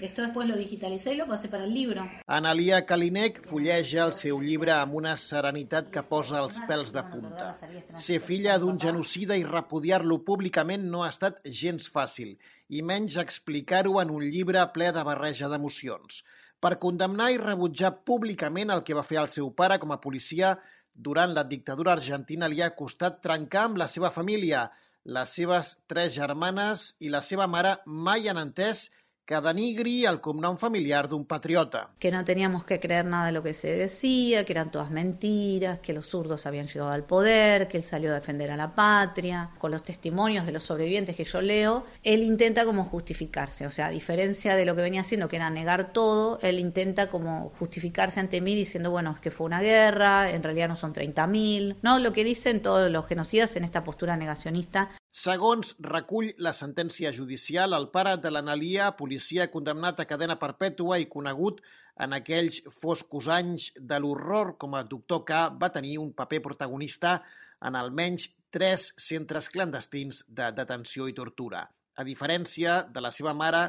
Esto después lo digitalicé y lo pasé para el libro. Analia Kalinek fulleja el seu llibre amb una serenitat que posa els pèls de punta. Ser filla d'un genocida i repudiar-lo públicament no ha estat gens fàcil, i menys explicar-ho en un llibre ple de barreja d'emocions. Per condemnar i rebutjar públicament el que va fer el seu pare com a policia durant la dictadura argentina li ha costat trencar amb la seva família. Les seves 3 germanes i la seva mare mai han entès que denigri el cognom familiar d'un patriota. Que no teníamos que creer nada de lo que se decía, que eran todas mentiras, que los zurdos habían llegado al poder, que él salió a defender a la patria. Con los testimonios de los sobrevivientes que yo leo, él intenta como justificarse. O sea, a diferencia de lo que venía haciendo, que era negar todo, él intenta como justificarse ante mí diciendo, bueno, es que fue una guerra, en realidad no son 30.000, ¿no? Lo que dicen todos los genocidas en esta postura negacionista. Segons recull la sentència judicial, el pare de l'Analia, policia condemnat a cadena perpètua i conegut en aquells foscos anys de l'horror com a doctor K, va tenir un paper protagonista en almenys 3 centres clandestins de detenció i tortura. A diferència de la seva mare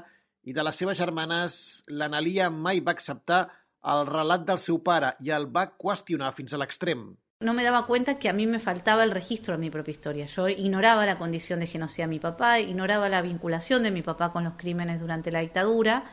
i de les seves germanes, l'Analia mai va acceptar el relat del seu pare i el va qüestionar fins a l'extrem. No me daba cuenta que a mí me faltaba el registro de mi propia historia. Yo ignoraba la condición de genocida de mi papá, ignoraba la vinculación de mi papá con los crímenes durante la dictadura,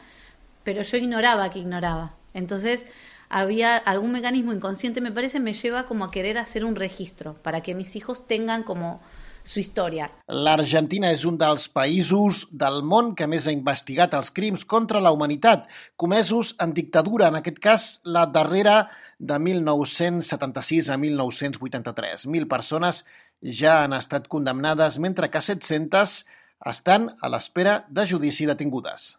pero yo ignoraba que ignoraba. Entonces había algún mecanismo inconsciente, me parece, me lleva como a querer hacer un registro para que mis hijos tengan como su història. L'Argentina és un dels països del món que més ha investigat els crims contra la humanitat, comesos en dictadura, en aquest cas la darrera de 1976 a 1983. 1.000 persones ja han estat condemnades, mentre que 700 estan a l'espera de judici detingudes.